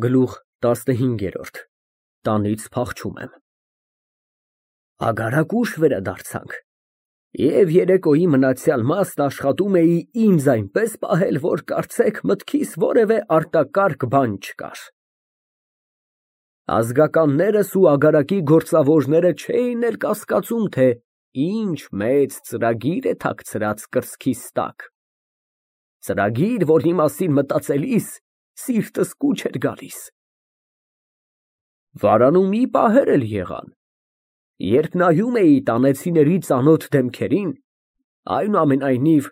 Գլուխ 15 Տանից փախչում եմ։ Ագարակ ուշ վերադարձանք, և երեկոյի մնացյալ մասն աշխատում էի ինձ այնպես պահել, որ կարծեք մտքիս որևէ արտակարգ բան չկար։ Ազգականներս ու ագարակի գործավորները չէին էլ կասկածում, թե ինչ մեծ ծրագիր է թաքցրած կրծքիս տակ, ծրագիր, որի մասին մտածելիս սիրտս կուչ էր գալիս։ Վարանում մի պահեր էլ եղան, երբ նայում էի տանեցիների ծանոթ դեմքերին, այնուամենայնիվ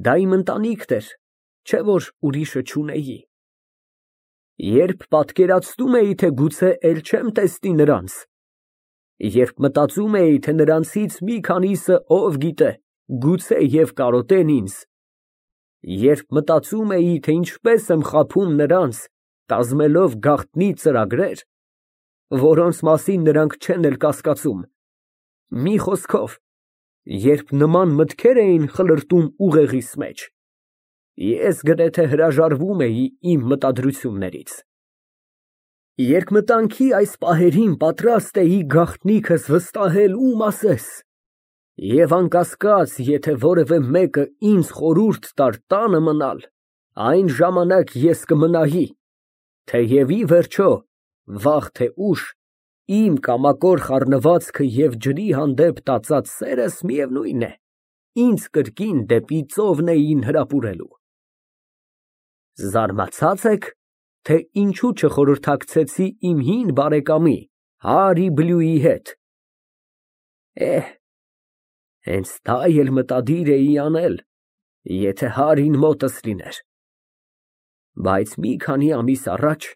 դա իմ ընտանիքն էր, չէ որ ուրիշը չունեի։ Երբ պատկերացնում էի, թե գուցե էլ չեմ տեսնի նրանց, երբ մտածում էի, թե նրանցից մի քանիսը, ով գիտե, գուցե և կարոտեն ինձ, երբ մտածում էի, թե ինչպես եմ խաբում նրանց, կազմելով գաղտնի ծրագրեր, որոնց մասին նրանք չեն էլ կասկածում, մի խոսքով, երբ նման մտքեր էին խլրտում ուղեղիս մեջ, ես գրեթե հրաժարվում էի իմ մտադրություններից։ Երկմտանքի այս պահերին պատրաստ էի գաղտնիքս վստահել ում ասես, և անկասկած, եթե որևէ մեկը ինձ խորհուրդ տար տանը մնալ, այն ժամանակ ես կմնայի, թեև ի վերջո, վաղ թե ուշ, իմ կամակոր խառնվածքը և ջրի հանդեպ տածած սերս, միևնույն է, ինձ կրկին դեպի ծովն էին հրապուրելու։ Զարմացա՞ծ եք, թե ինչու չխորհրդակցեցի իմ հին բարեկամի Հարի Բլյուի հետ։ Հենց դա էլ մտադիր էի անել, եթե Հարին մոտս լիներ, բայց մի քանի ամիս առաջ,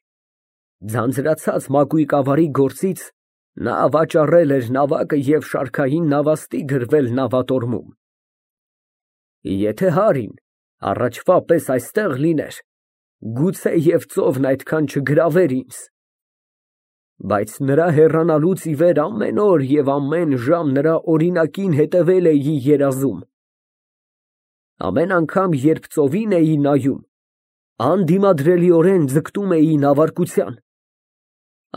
ձանձրացած մակույկավարի գործից, նա վաճառել էր նավակը և շարքային նավաստի գրվել նավատորմում։ Եթե Հարին առաջվա պես այստեղ լիներ, գուցե և ծովն այդքան չգրավեր ինձ, բայց նրա հեռանալուց ի վեր ամեն օր և ամեն ժամ նրա օրինակին հետևել էի երազում։ Ամեն անգամ, երբ ծովին էի նայում, անդիմադրելիորեն ձգտում էի նավարկության։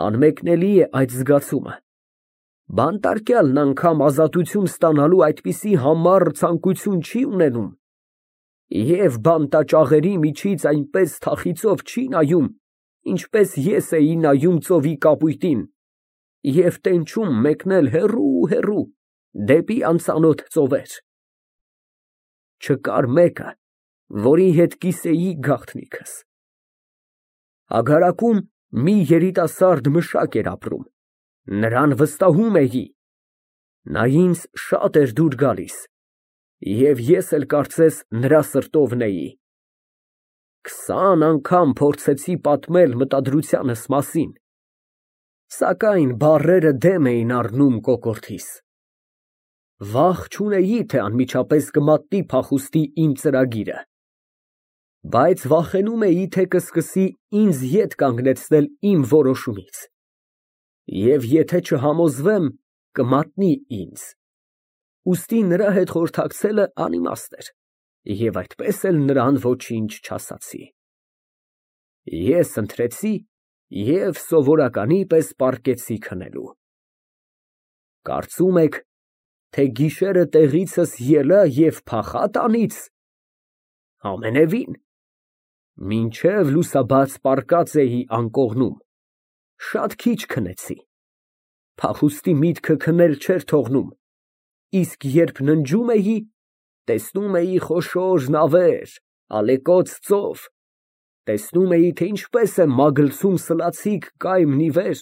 Անմեկնելի է այդ զգացումը, բանտարկյալն անգամ ազատություն ստանալու այդպիսի համառ ցանկություն չի ունենում, և բանտաճաղերի միջից այնպես թախիծով չի նայում, ինչպես ես էի նայում ծովի կապույտին և տենչում մեկնել հեռու, դեպի անծանոթ ծովեր։ Չկար մեկը, որի հետ կիսեի գաղտնիքս։ Ագարակում մի երիտասարդ մշակ էր ապրում, նրան վստահում էի, նա ինձ շատ էր դուր գալիս, և ես էլ կարծես նրա սրտովն էի։ 20 անգամ փորձեցի պատմել մտադրությանս մասին, սակայն բառերը դեմ էին առնում կոկորդիս։ Վախ չունեի, թե անմիջապես կմատնի փախուստի իմ ծրագիրը, բայց վախենում էի, թե կսկսի ինձ ետ կանգնեցնել իմ որոշումից, և եթե չհամոզվեմ, կմատնի ինձ, ուստի նրա հետ խորհրդակցելը անիմաստ էր, և այդպես էլ նրան ոչինչ չասացի։ Ես ընտրեցի և սովորականի պես պառկեցի քնելու։ Կարծում եք, թե գիշերը տեղիցս ելա և փախա տանից։ Ամենևին, մինչև լուսաբաց պառկած էի անկողնում, շատ քիչ քնեցի, փախուստի միտքը քնել չէր թողնում, իսկ երբ ննջում էի, տեսնում էի խոշոր նավեր, ալեկոծ ծով, տեսնում էի, թե ինչպես եմ մագլցում սլացիկ կայմն ի վեր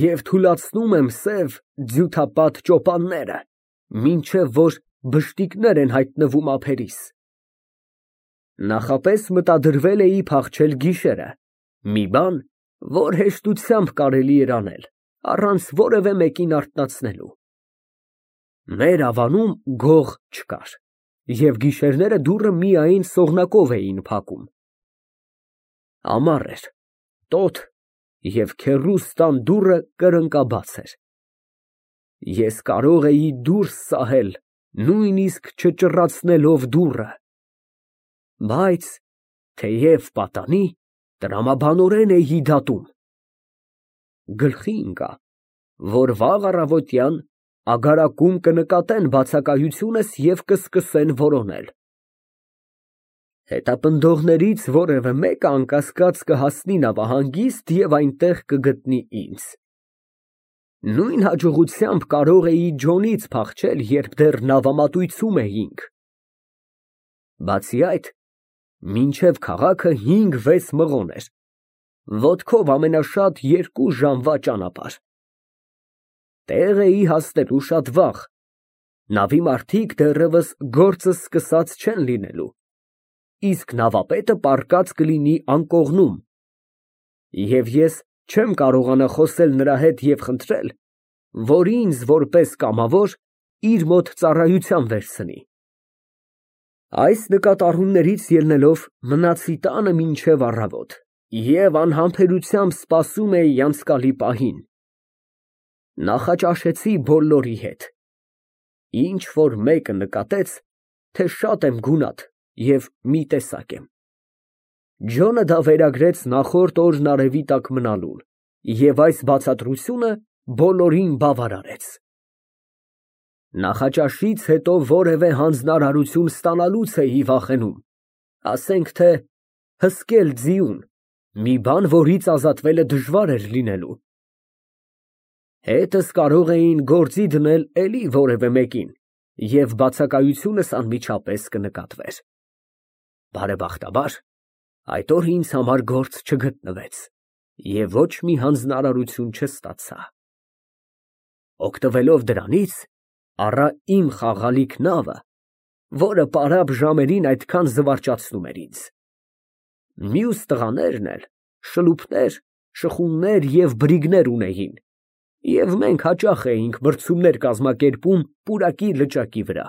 և թուլացնում եմ սև ձյութապատ ճոպանները, մինչև որ բշտիկներ են հայտնվում ափերիս։ Նախապես մտադրվել էի փախչել գիշերը, մի բան, որ հեշտությամբ կարելի էր անել, առանց որևէ մեկին արթնացնելու։ Մեր ավանում գող չկար, և գիշերները դուռը միայն սողնակով էին փակում։ Ամառ էր, տոտ և քեռուստան դուռը կրկնակաբաց էր։ Ես կարող էի դուրս սահել, նույնիսկ չճռացնելով դուռը, բայց թեև պատանի, տրամաբանորեն էի դատում։ Գլխի ընկա, որ վաղ առավոտյան ագարակում կնկատեն բացակայությունս և կսկսեն որոնել։ Հետապնդողներից որևէ մեկը անկասկած կհասնի նավահանգիստ և այնտեղ կգտնի ինձ։ Նույն հաջողությամբ կարող էի Ջոնից փախչել, երբ դեռ նավամատույցում էինք։ Բացի այդ, մինչև քաղաքը 5-6 մղոն էր, ոտքով ամենաշատ 2 ժամվա ճանապարհ։ Տեղ էի հասնելու շատ վաղ, նավի մարդիկ դեռևս գործը սկսած չեն լինելու, իսկ նավապետը պառկած կլինի անկողնում, և ես չեմ կարողանա խոսել նրա հետ և խնդրել, որ ինձ որպես կամավոր իր մոտ ծառայության վերցնի։ Այս նկատառումներից ելնելով մնացի տանը մինչև առավոտ և անհամբերությամբ սպասում էի անցկալի պահին։ Նախաճաշեցի բոլորի հետ։ Ինչ֊որ մեկը նկատեց, թե շատ եմ գունատ և մի տեսակ եմ։ Ջոնը դա վերագրեց նախորդ օրն արևի տակ մնալուն և այս բացատրությունը բոլորին բավարարեց։ Նախաճաշից հետո որևէ հանձնարարություն ստանալուց էի վախենում, ասենք թե հսկել ձիուն, մի բան, որից ազատվելը դժվար էր լինելու։ Հետս կարող էին գործի դնել էլի որևէ մեկին, և բացակայությունս անմիջապես կնկատվեր։ Բարեբախտաբար, այդ օրը ինձ համար գործ չգտնվեց և ոչ մի հանձնարարություն չստացա։ Օգտվելով դրանից, առա իմ խաղալիք նավը, որը պարապ ժամերին այդքան զվարճացնում էր ինձ։ Մյուս տղաներն էլ շլուփներ, շխուններ և բրիգներ ունեին, և մենք հաճախ էինք բրցումներ կազմակերպում պուրակի լճակի վրա։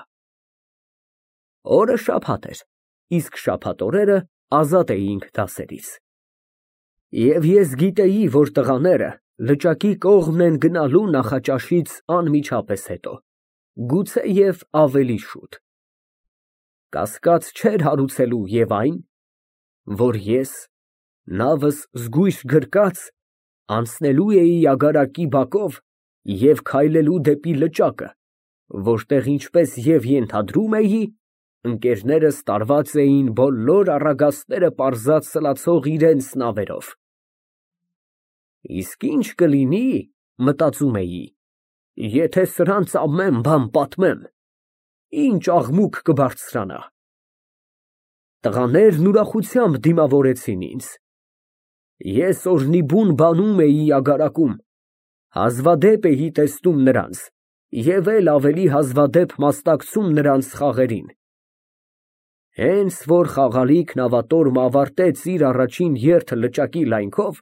Օրը շաբաթ էր, իսկ շաբաթ օրերը ազատ էինք դասերից։ Եվ ես գիտեի, որ տղաները լճակի կողմն են գնալու նախաճաշից անմիջապես հետո, գուցեև ավելի շուտ։ Կասկած չէր հարուցելու և այն, որ ես, նավս զգույշ գրկած, անցնելու էի ագարակի բակով և քայլելու դեպի լճակը, որտեղ, ինչպես և ենթադրում էի, ընկերներս տարված էին բոլոր առագաստները պարզած սլացող իրենց նավերով։ Իսկ ինչ կլինի, մտածում էի, եթե սրանց ամեն բան պատմեմ, ինչ աղմուկ կբարձրանա։ Տղաներն ուրախությամբ դիմավորեցին ինձ։ Ես օրնիբուն բանում էի ագարակում, հազվադեպ էի տեսնում նրանց և էլ ավելի հազվադեպ մասնակցում նրանց խաղերին։ Հենց որ խաղալիք նավատորմը ավարտեց իր առաջին երթը լճակի լայնքով,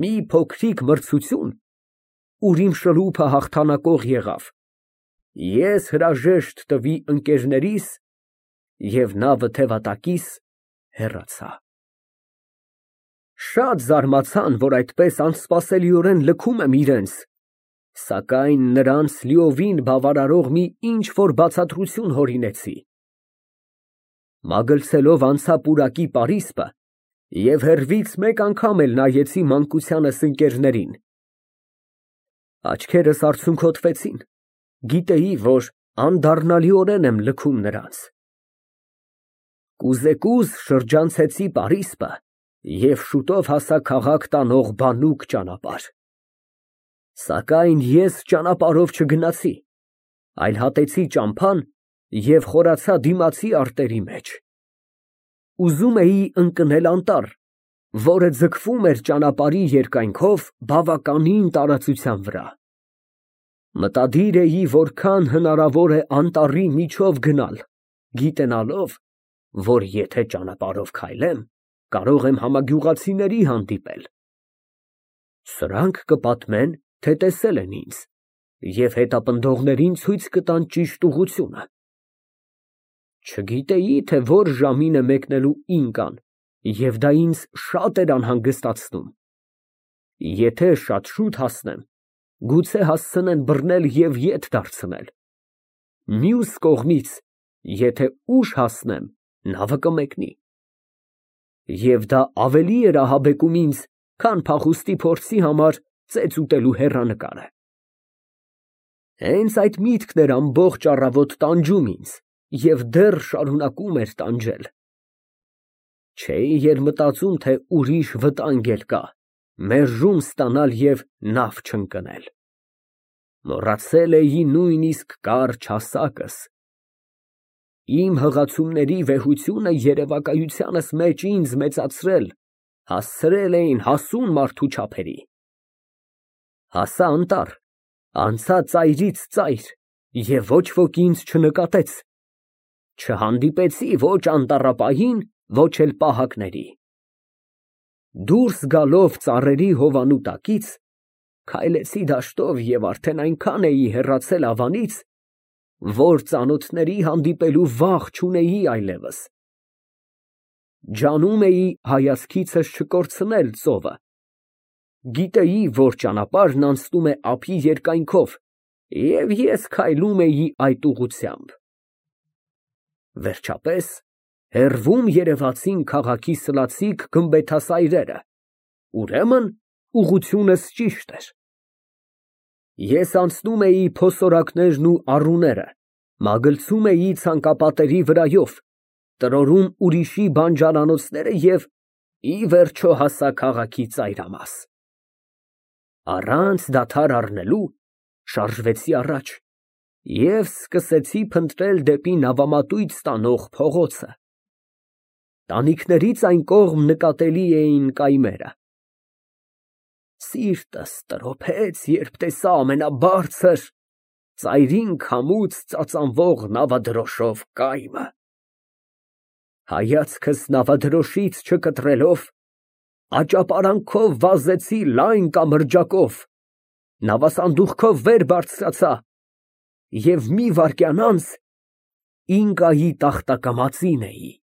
մի փոքրիկ մրցություն, ուր իմ շրուփը հաղթանակող եղավ, ես հրաժեշտ տվի ընկերներիս և նավը թևատակիս հեռացա։ Շատ զարմացան, որ այդպես անսպասելիորեն լքում եմ իրենց, սակայն նրանց լիովին բավարարող մի ինչ֊որ բացատրություն հորինեցի։ Մագլցելով անցա պուրակի պարիսպը և հեռվից մեկ անգամ էլ նայեցի մանկությանս ընկերներին։ Աչքերս արցունքոտվեցին, գիտեի, որ անդառնալիորեն եմ լքում նրանց։ Կուզեկուզ շրջանցեցի պարիսպը և շուտով հասա քաղաք տանող բանուկ ճանապարհ։ Սակայն ես ճանապարհով չգնացի, այլ հատեցի ճամփան և խորացա դիմացի արտերի մեջ։ Ուզում էի ընկնել անտառ, որը ձգվում էր ճանապարհի երկայնքով բավականին տարածության վրա։ Մտադիր էի որքան հնարավոր է անտառի միջով գնալ, գիտենալով, որ եթե ճանապարհով քայլեմ, կարող եմ համագյուղացիների հանդիպել։ Սրանք կպատմեն, թե տեսել են ինձ, և հետապնդողներին ցույց կտան ճիշտ ուղղությունը։ Չգիտեի, թե որ ժամին է մեկնելու ինկան, և դա ինձ շատ էր անհանգստացնում։ Եթե շատ շուտ հասնեմ, գուցե հասցնեն բռնել և ետ դարձնել։ Մյուս կողմից, եթե ուշ հասնեմ, նավը կմեկնի։ Եվ դա ավելի էր ահաբեկում ինձ, քան փախուստի փորձի համար ծեծ ուտելու հեռանկարը։ Հենց այդ միտքն էր ամբողջ առավոտ տանջում ինձ և դեռ շարունակում էր տանջել։ Չէի էլ մտածում, թե ուրիշ վտանգ էլ կա, մերժում ստանալ և նավ չընկնել։ Մոռացել էի նույնիսկ կարճ հասակս։ Իմ հղացումների վեհությունը երևակայությանս մեջ ինձ մեծացրել հասցրել էին հասուն մարդու չափերի։ Հասա անտառ, անցա ծայրից ծայր և ոչ ոք ինձ չնկատեց, չհանդիպեցի ոչ անտառապահին, ոչ էլ պահակների։ Դուրս գալով ծառերի հովանու տակից, քայլեցի դաշտով և արդեն այնքան էի հեռացել ավանից, որ ծանոթների հանդիպելու վախ չունեի այլևս։ Ջանում էի հայացքիցս չկորցնել ծովը։ Գիտեի, որ ճանապարհն անցնում է ափի երկայնքով, և ես քայլում էի այդ ուղղությամբ։ Վերջապես, հեռվում երևացին քաղաքի սլացիկ գմբեթասայրերը, ուրեմն ուղղությունս ճիշտ էր։ Ես անցնում էի փոսորակներն ու առուները, մագլցում էի ցանկապատերի վրայով, տրորում ուրիշի բանջարանոցները և, ի վերջո, հասա քաղաքի ծայրամաս։ Առանց դադար առնելու շարժվեցի առաջ և սկսեցի փնտրել դեպի նավամատույց տանող փողոցը։ Տանիքներից այն կողմ նկատելի էին կայմերը։ Սիրտս տրոփեց, երբ տեսա ամենաբարձր, ծայրին քամուց ծածանվող նավադրոշով կայմը։ Հայացքս նավադրոշից չկտրելով, աճապարանքով վազեցի լայն կամրջակով, նավասանդուղքով վեր բարձրացա և մի վայրկյան անց Ինկայի տախտակամածին էի։